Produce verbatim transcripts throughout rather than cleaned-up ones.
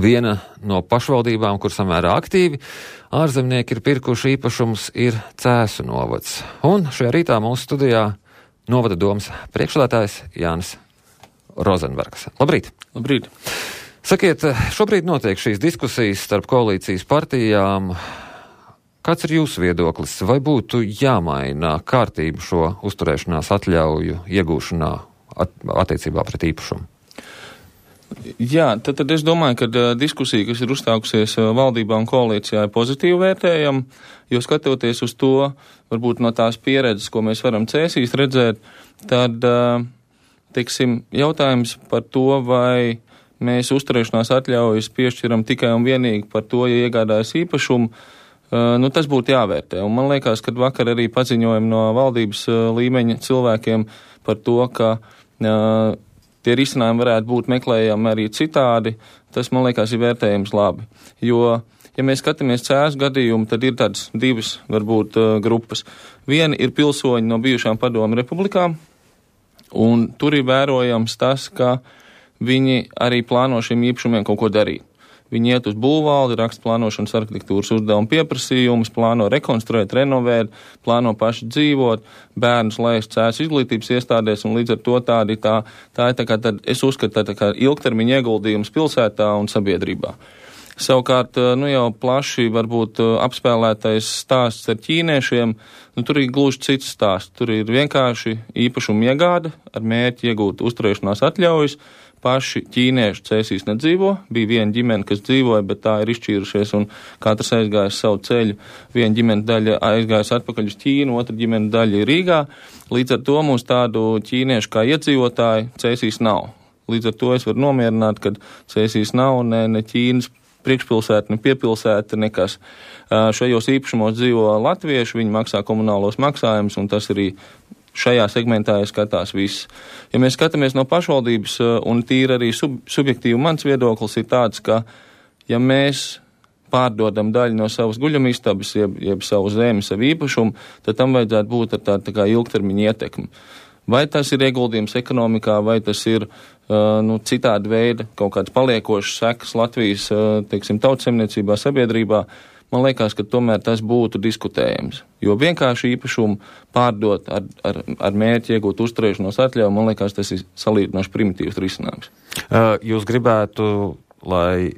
Viena no pašvaldībām, kur samērā aktīvi ārzemnieki ir pirkuši īpašums, ir Cēsu novads. Un šajā rītā mūsu studijā novada domas priekšsēdētājs Jānis Rozenbergs. Labrīt! Labrīt! Sakiet, šobrīd notiek šīs diskusijas starp koalīcijas partijām. Kāds ir jūsu viedoklis? Vai būtu jāmaina kārtību šo uzturēšanās atļauju iegūšanā at- attiecībā pret īpašumu? Jā, tad, tad es domāju, ka uh, diskusija, kas ir uzstākusies uh, valdībā un koalīcijā, ir pozitīvi vērtējama, jo skatoties uz to, varbūt no tās pieredzes, ko mēs varam Cēsīs redzēt, tad, uh, teiksim, jautājums par to, vai mēs uzturēšanās atļaujas piešķiram tikai un vienīgi par to, ja iegādājas īpašumu, uh, nu tas būtu jāvērtē. Un man liekas, ka vakar arī paziņojumi no valdības uh, līmeņa cilvēkiem par to, ka uh, tie risinājumi varētu būt meklējami arī citādi, tas, man liekas, ir vērtējums labi. Jo, ja mēs skatāmies Cēsu gadījumu, tad ir tādas divas, varbūt, uh, grupas. Viena ir pilsoņi no bijušām padomu republikām, un tur ir vērojams tas, ka viņi arī plāno šiem īpašumiem kaut ko darīt. Viņi iet uz būvvaldi, raksta plānošanas arhitektūras uzdevumu pieprasījumus, plāno rekonstruēt, renovēt, plāno paši dzīvot, bērnus laist Cēsu izglītības iestādēs, un līdz ar to tādi tā, tā ir tā kā tad, es uzskatu, tā, tā kā ilgtermiņa ieguldījums pilsētā un sabiedrībā. Savukārt, nu jau plaši varbūt apspēlētais stāsts ar ķīniešiem, nu tur ir gluži cits stāsts. Tur ir vienkārši īpašumu iegāde ar mērķi iegūt uzturēšanās atļaujas. Paši ķīnieši Cēsīs nedzīvo, bija viena ģimene, kas dzīvoja, bet tā ir izšķīrušies un katrs aizgājis savu ceļu. Viena ģimene daļa aizgājis atpakaļ uz Ķīnu, otra ģimene daļa ir Rīgā. Līdz ar to mums tādu ķīniešu kā iedzīvotāju Cēsīs nav. Līdz ar to es varu nomierināt, ka Cēsīs nav ne, ne Ķīnas priekšpilsēta, ne piepilsēta, nekas. Šajos īpašumos dzīvo latvieši, viņi maksā komunālos maksājumus, un tas arī šajā segmentā skatās viss. Ja mēs skatāmies no pašvaldības, un tīri arī sub, subjektīvi mans viedoklis ir tāds, ka ja mēs pārdodam daļu no savas guļamistabas, jeb, jeb savu zemi, savu īpašumu, tad tam vajadzētu būt ar tādu tā kā ilgtermiņa ietekmi. Vai tas ir ieguldījums ekonomikā, vai tas ir uh, nu, citādi veida kaut kāds paliekošs sekas Latvijas, uh, teiksim, tautsemniecībā, sabiedrībā, man liekas, ka tomēr tas būtu diskutējams. Jo vienkārši īpašumu pārdot ar, ar, ar mērķi iegūt uzturēšanos atļauju, man liekas, tas ir salīdzinoši primitīvs risinājums. Uh, jūs gribētu, lai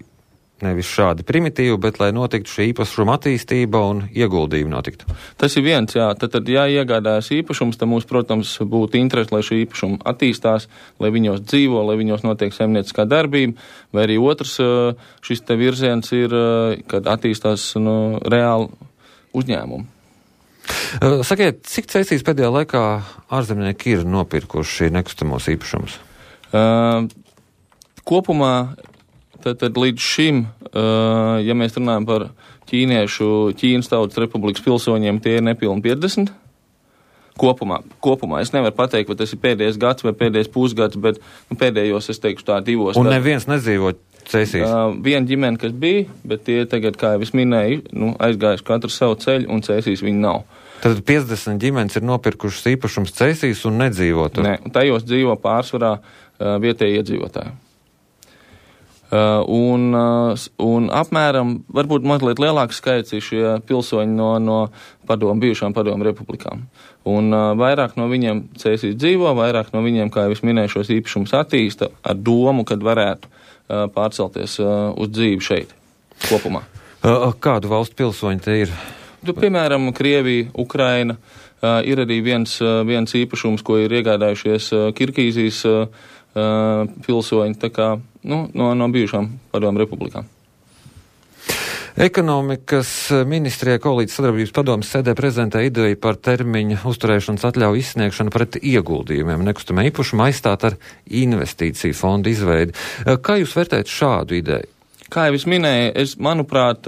nevis šādi primitīvi, bet lai notiktu šī īpašuma attīstība un ieguldījumi notiktu? Tas ir viens, jā. Tad, tad ja iegādājas īpašums, tad mums, protams, būtu interesi, lai šī īpašuma attīstās, lai viņos dzīvo, lai viņos notiek saimnieciskā darbība, vai arī otrs šis te virziens ir, kad attīstās nu, reāli uzņēmumi. Sakiet, cik Cēsīs pēdējā laikā ārzemnieki ir nopirkuši nekustamos īpašumus? Uh, kopumā Tad, tad līdz šim, uh, ja mēs runājam par ķīniešu, Ķīnas Tautas Republikas pilsoņiem, tie ir nepilni piecdesmit. Kopumā, kopumā. Es nevaru pateikt, vai tas ir pēdējais gads vai pēdējais pusgads, bet nu, pēdējos, es teikšu tā, divos. Un neviens nedzīvo Cēsīs? Uh, viena ģimene, kas bija, bet tie tagad, kā jau es minēju, nu, aizgājuši katru savu ceļu, un Cēsīs viņi nav. Tad piecdesmit ģimenes ir nopirkušas īpašums Cēsīs un nedzīvo tur? Nē, tajos dzīvo pārsvarā uh, vietēji iedzīvotāji. Uh, un, uh, un apmēram, varbūt mazliet lielāks skaits ir šie pilsoņi no, no padomu, bijušām padomu republikām. Un uh, vairāk no viņiem Cēsīs dzīvo, vairāk no viņiem, kā jau es minēju, šos īpašumus attīsta ar domu, kad varētu uh, pārcelties uh, uz dzīvi šeit, kopumā. Uh, kādu valstu pilsoņi te ir? Tu, piemēram, Krievija, Ukraina, uh, ir arī viens, uh, viens īpašums, ko ir iegādājušies uh, Kirgīzijas uh, pilsoņi, tā kā nu, no, no bijušām padomu republikām. Ekonomikas ministrijā koalīcijas sadarbības padomes sēdē prezentē ideju par termiņa uzturēšanas atļauju izsniegšanu pret ieguldījumiem nekustamā īpašuma aizstāt ar investīciju fondu izveidi. Kā jūs vērtējat šādu ideju? Kā jau es minēju, es, manuprāt,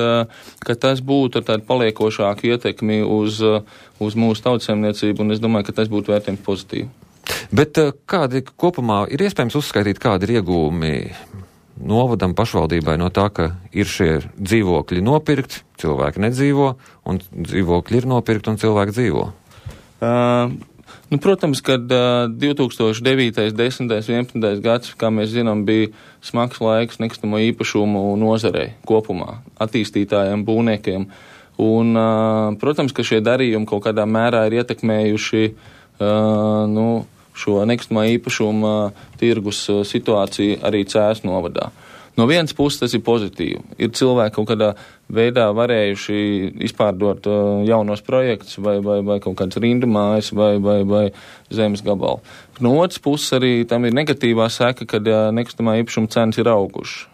ka tas būtu ar tādu paliekošāku ietekmi uz, uz mūsu tautsaimniecību, un es domāju, ka tas būtu vērtējums pozitīvi. Bet kādi kopumā ir iespējams uzskaitīt, kādi ir iegūmi novadam pašvaldībai no tā, ka ir šie dzīvokļi nopirkti, cilvēki nedzīvo, un dzīvokļi ir nopirkti un cilvēki dzīvo? Uh, Nu, protams, kad uh, divi tūkstoši devītais, desmitais, vienpadsmitais gads, kā mēs zinām, bija smags laiks nekustamo īpašumu nozarei kopumā, attīstītājiem, būvniekiem. Un, uh, protams, ka šie darījumi kaut kādā mērā ir ietekmējuši uh, nu, šo nekustamā īpašuma tirgus uh, situāciju arī Cēsu novadā. No vienas puses tas ir pozitīvi. Ir cilvēki kaut kādā veidā varējuši izpārdot uh, jaunos projektus vai, vai, vai kaut kāds rindu mājas vai, vai, vai zemes gabalu. No otras puses arī tam ir negatīvā seka, kad uh, nekustamā īpašuma cenas ir augušas.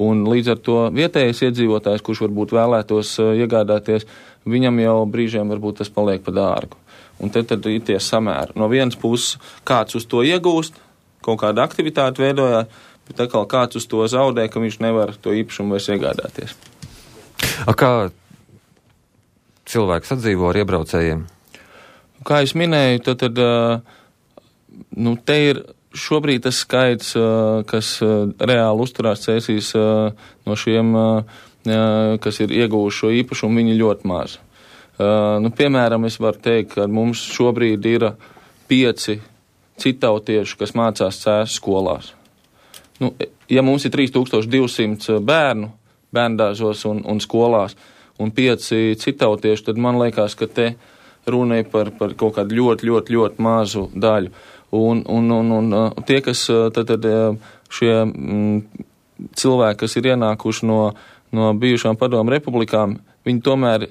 Un līdz ar to vietējais iedzīvotājs, kurš varbūt vēlētos uh, iegādāties, viņam jau brīžiem varbūt tas paliek pa dārgu. Un te tad ir tie samēri. No vienas puses kāds uz to iegūst, kaut kāda aktivitāte veidojās, bet atkal kāds uz to zaudē, ka viņš nevar to īpašumu vairs iegādāties. A kā cilvēks sadzīvo ar iebraucējiem? Kā es minēju, tad, tad nu, te ir šobrīd tas skaits, kas reāli uzturās Cēsīs no šiem, kas ir ieguvuši šo īpašumu, viņi ļoti maz. Nu, piemēram, es varu teikt, ka mums šobrīd ir pieci citautieši, kas mācās Cēsu skolās. Nu, ja mums ir trīs tūkstoši divsimt bērnu bērndārzos un, un skolās un pieci citautieši, tad man liekas, ka te runa ir par, par kaut kādu ļoti, ļoti, ļoti mazu daļu. Un, un, un, un tie, kas tad, tad šie m, cilvēki, kas ir ienākuši no, no bijušām padomu republikām, viņi tomēr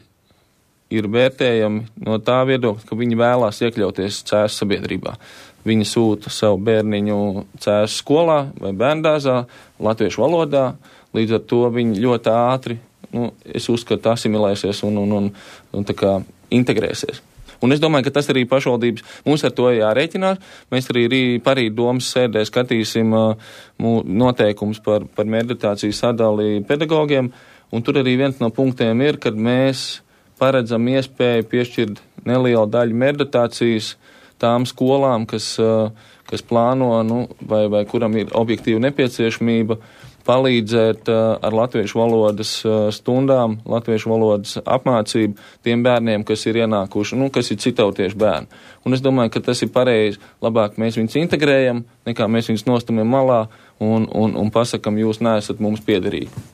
ir vērtējami no tā viedokļa, ka viņi vēlās iekļauties Cēsu sabiedrībā. Viņi sūta savu bērniņu Cēsu skolā vai bērndārzā, latviešu valodā, līdz ar to viņi ļoti ātri, nu, es uzskatu, asimilēsies un, un, un, un tā kā integrēsies. Un es domāju, ka tas arī pašvaldības, mums ar to jārēķinās. Mēs arī parīt domas sēdē skatīsim uh, noteikums par, par meditāciju sadali pedagogiem, un tur arī viens no punktiem ir, kad mēs paredzam iespēju piešķirt nelielu daļu meditācijas tām skolām, kas, kas plāno, nu, vai, vai kuram ir objektīva nepieciešamība palīdzēt ar latviešu valodas stundām, latviešu valodas apmācību tiem bērniem, kas ir ienākuši, nu, kas ir citautiešu bērni. Un es domāju, ka tas ir pareizi. Labāk mēs viņus integrējam, nekā mēs viņus nostumjam malā un, un, un pasakam, jūs neesat mums piederīgi.